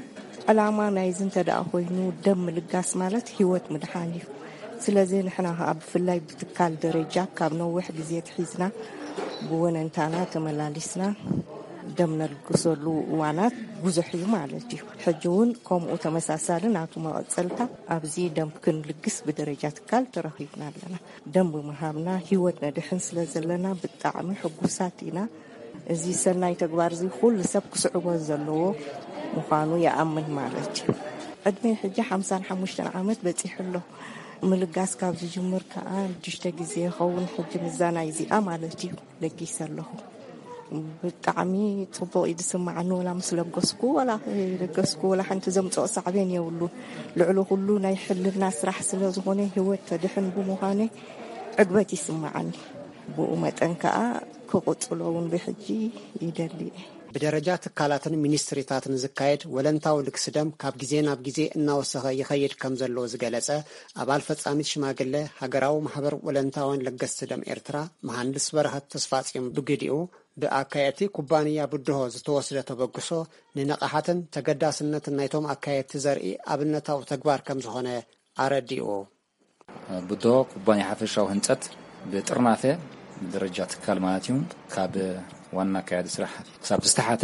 ዕላማ ናይዚ እንተ ደኣ ኮይኑ፣ ደም ምልጋስ ማለት ህይወት ምድሓን እዩ። ስለዚ ንሕና ከኣ ብፍላይ ብትካል ደረጃ ካብ ነዊሕ ግዜ ትሒዝና ብወነንታና ተመላሊስና ደም ነልግሰሉ እዋናት ብዙሕ እዩ ማለት እዩ። ሕጂ እውን ከምኡ ተመሳሳሊ ናቱ መቐጸልታ ኣብዚ ደም ክንልግስ ብደረጃ ትካል ተረኺብና ኣለና። ደም ብምሃብና ህይወት ነድሕን ስለ ዘለና ብጣዕሚ ሕጉሳት ኢና። እዚ ሰናይ ተግባር እዚ ኩሉ ሰብ ክስዕቦ ዘለዎ ምዃኑ ይኣምን ማለት እዩ። ዕድመይ ሕጂ ሓምሳን ሓሙሽተን ዓመት በጺሑ ኣሎ። ምልጋስ ካብ ዝጅምር ከኣ ሽዱሽተ ግዜ ይኸውን ሕጂ ምዛ ናይ እዚኣ ማለት እዩ ለጊሰ ኣለኹ። ብጣዕሚ ጽቡቕ እዩ ዝስማዓኒ፣ ወላ ምስ ለገስኩ፣ ወላ ከይለገስኩ፣ ወላ ሓንቲ ዘምጽኦ ሳዕቤን የብሉን። ልዕሊ ኩሉ ናይ ሕልና ስራሕ ስለ ዝኾነ፣ ህይወት ተድሕን ብምዃነ ዕግበት ይስማዓኒ። ብኡ መጠን ከኣ ክቕጽሎ እውን ብሕጂ ይደሊ እየ። ብደረጃ ትካላትን ሚኒስትሪታትን ዝካየድ ወለንታዊ ልግሲ ደም ካብ ግዜ ናብ ግዜ እናወሰኸ ይኸይድ ከም ዘሎ ዝገለጸ ኣባል ፈጻሚት ሽማግለ ሃገራዊ ማሕበር ወለንታውያን ለገስቲ ደም ኤርትራ መሃንድስ በረኸት ተስፋጽዮን ብግዲኡ፣ ብኣካየድቲ ኩባንያ ብድሆ ዝተወስደ ተበግሶ ንንቕሓትን ተገዳስነትን ናይቶም ኣካየድቲ ዘርኢ ኣብነታዊ ተግባር ከም ዝኾነ ኣረዲኡ። ብድሆ ኩባንያ ሓፈሻዊ ህንጸት ብጥርናፈ ብደረጃ ትካል ማለት እዩ፣ ካብ ዋና ኣካያዲ ስራሕ ክሳብ ዝተሓተ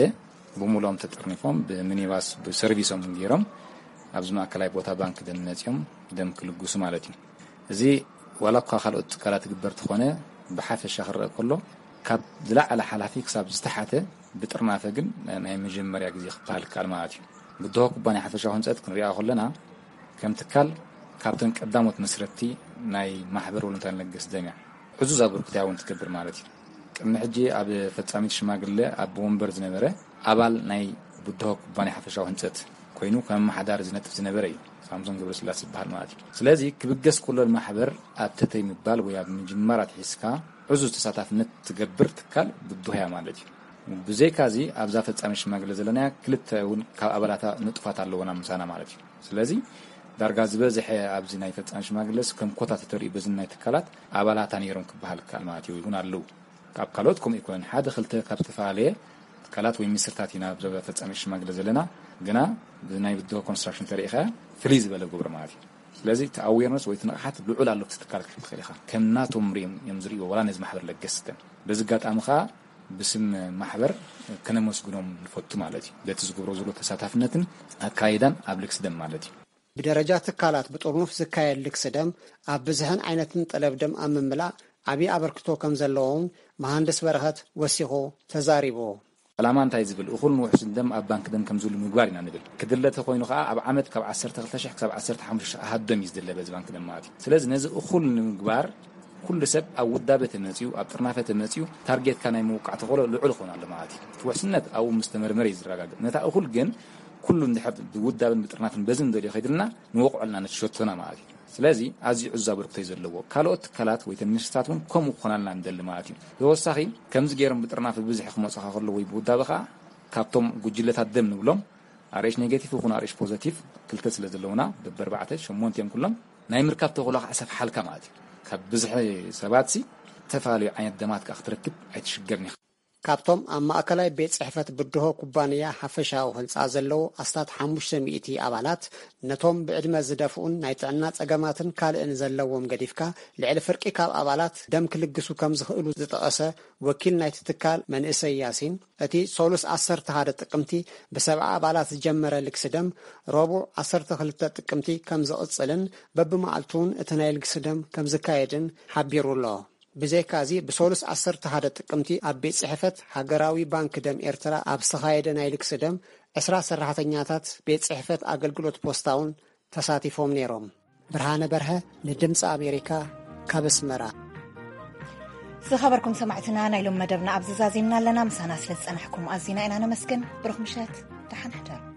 ብምሉኦም ተጠርኒፎም፣ ብሚኒባስ ብሰርቪሶም ገይሮም ኣብዚ ማእከላይ ቦታ ባንክ ደም መጺኦም ደም ክልግሱ ማለት እዩ። እዚ ዋላ እኳ ካልኦት ትካላት ይግበር ተኾነ፣ ብሓፈሻ ክረአ ከሎ ካብ ዝለዓለ ሓላፊ ክሳብ ዝተሓተ ብጥርናፈ ግን ናይ መጀመርያ ግዜ ክበሃል ይከኣል ማለት እዩ። ብድሆ ኩባንያ ሓፈሻዊ ህንጸት ክንሪኣ ከለና፣ ከም ትካል ካብተን ቀዳሞት መስረትቲ ናይ ማሕበር ወለንታውያን ለገስቲ ደም እያ። ዕዙዝ ኣበርክቶያ እውን ትገብር ማለት እዩ። ቅድሚ ሕጂ ኣብ ፈጻሚት ሽማግለ ኣብ ወንበር ዝነበረ ኣባል ናይ ብድሆ ኩባንያ ሓፈሻዊ ህንጸት ኮይኑ ከም ኣመሓዳሪ ዝነጥፍ ዝነበረ እዩ። ሳምሶን ገብረስላሴ ዝበሃል ማለት እዩ። ስለዚ ክብገስ ከሎ ማሕበር ኣብ ተተይ ምባል ወይ ኣብ ምጅማር ኣትሒዝካ ዕዙዝ ተሳታፍነት ትገብር ትካል ብድሆ እያ ማለት እዩ። ብዘይካዚ ኣብዛ ፈጻሚ ሽማግለ ዘለናያ ክልተ እውን ካብ ኣባላታ ንጡፋት ኣለዎና ምሳና ማለት እዩ። ስለዚ ዳርጋ ዝበዝሐ ኣብዚ ናይ ፈጻሚ ሽማግለስ ከም ኮታ ተተሪኡ በዝን ናይ ትካላት ኣባላታ ነይሮም ክበሃል ይከኣል ማለት እዩ፣ እውን ኣለዉ። ካብ ካልኦት ከምኡ ኣይኮነን። ሓደ ክልተ ካብ ዝተፈላለየ ትካላት ወይ ሚኒስትሪታት ኢና ኣብ ዞባ ፈጻሚ ሽማግለ ዘለና፣ ግና ብናይ ብድሆ ኮንስትራክሽን ተሪኢኻ ፍልይ ዝበለ ግብሪ ማለት እዩ። ስለዚ እቲ ኣዌርነስ ወይ እቲ ንቕሓት ልዑል ኣሎ፣ እቲ ትካል ክትብል ትኽእል ኢኻ። ከም ናቶም ሪኦም እዮም ዝርእይዎ፣ ዋላ ነዚ ማሕበር ለገስቲ ደም። በዚ ኣጋጣሚ ኸኣ ብስም ማሕበር ከነመስግኖም ንፈቱ ማለት እዩ፣ በቲ ዝገብሮ ዘሎ ተሳታፍነትን ኣካይዳን ኣብ ልግሲ ደም ማለት እዩ። ብደረጃ ትካላት ብጥርኑፍ ዝካየድ ልግሲ ደም ኣብ ብዝሕን ዓይነትን ጠለብ ደም ኣብ ምምላእ ዓብዪ ኣበርክቶ ከም ዘለዎም መሃንድስ በረኸት ወሲኹ ተዛሪቡ። ዕላማ እንታይ ዝብል እኹልን ውሑስን ደም ኣብ ባንክ ደም ከም ዝህሉ ምግባር ኢና ንብል። ክድለ ተኾይኑ ኸኣ ኣብ ዓመት ካብ ዓሰርተ ክልተ ሽሕ ክሳብ ዓሰርተ ሓሙሽተ ሽሕ ኣሃዱ ደም እዩ ዝድለ በዚ ባንክ ደም ማለት እዩ። ስለዚ ነዚ እኹል ንምግባር ኩሉ ሰብ ኣብ ውዳበ ተመጺኡ፣ ኣብ ጥርናፈ ተመጺኡ፣ ታርጌትካ ናይ ምውቃዕ ተኽእሎ ልዑል ክኾን ኣሎ ማለት እዩ። እቲ ውሕስነት ኣብኡ ምስ ተመርመረ እዩ ዝረጋገጽ። ነታ እኹል ግን ኩሉ እንድሕር ብውዳበን ብጥርናፈን በዚ ንደልዮ ከይድልና ንወቕዖ ኣለና ነቲ ሸቶና ማለት እዩ። ስለዚ ኣዝዩ ዕዙዝ ኣበርክቶ እዩ ዘለዎ። ካልኦት ትካላት ወይ ተን ሚኒስትሪታት እውን ከምኡ ክኾናልና ንደሊ ማለት እዩ። ብተወሳኺ ከምዚ ገይሮም ብጥርናፈ ብብዝሒ ክመጹኻ ከለዉ ወይ ብውዳበ ኸኣ ካብቶም ጉጅለታት ደም ንብሎም ኣር ኤች ኔጌቲቭ ይኹን ኣር ኤች ፖዘቲቭ ክልተ ስለ ዘለውና በብኣርባዕተ ሸሞንተ እዮም ኩሎም ናይ ምርካብ ተኽእሎ ከዓ ሰፍሓልካ ማለት እዩ። ካብ ብዝሒ ሰባትሲ ዝተፈላለዩ ዓይነት ደማት ከዓ ክትረክብ ኣይትሽገርን ኢኻ። ካብቶም ኣብ ማእከላይ ቤት ጽሕፈት ብድሆ ኩባንያ ሓፈሻዊ ህንጻ ዘለዉ ኣስታት ሓሙሽተ ሚእቲ ኣባላት፣ ነቶም ብዕድመ ዝደፍኡን ናይ ጥዕና ጸገማትን ካልእን ዘለዎም ገዲፍካ፣ ልዕሊ ፍርቂ ካብ ኣባላት ደም ክልግሱ ከም ዝኽእሉ ዝጠቐሰ ወኪል ናይቲ ትካል መንእሰይ ያሲን፣ እቲ ሶሉስ ዓሰርተ ሓደ ጥቅምቲ ብሰብዓ ኣባላት ዝጀመረ ልግሲ ደም፣ ረቡዕ ዓሰርተ ክልተ ጥቅምቲ ከም ዝቕጽልን በብመዓልቱ እውን እቲ ናይ ልግሲ ደም ከም ዝካየድን ሓቢሩ ኣሎ። ብዘይካዚ፣ ብሶሉስ ዓሰርተ ሓደ ጥቅምቲ ኣብ ቤት ጽሕፈት ሃገራዊ ባንክ ደም ኤርትራ ኣብ ዝተኻየደ ናይ ልግሲ ደም፣ ዕስራ ሰራሕተኛታት ቤት ጽሕፈት ኣገልግሎት ፖስታ እውን ተሳቲፎም ነይሮም። ብርሃነ በርሀ ንድምፂ ኣሜሪካ፣ ካብ ኣስመራ። ዝኸበርኩም ሰማዕትና፣ ናይ ሎም መደብና ኣብዚ ዛዚምና ኣለና። ምሳና ስለ ዝጸናሕኩም ኣዚና ኢና ነመስግን። ብሩኽ ምሸት፣ ደሓን ሕደሩ።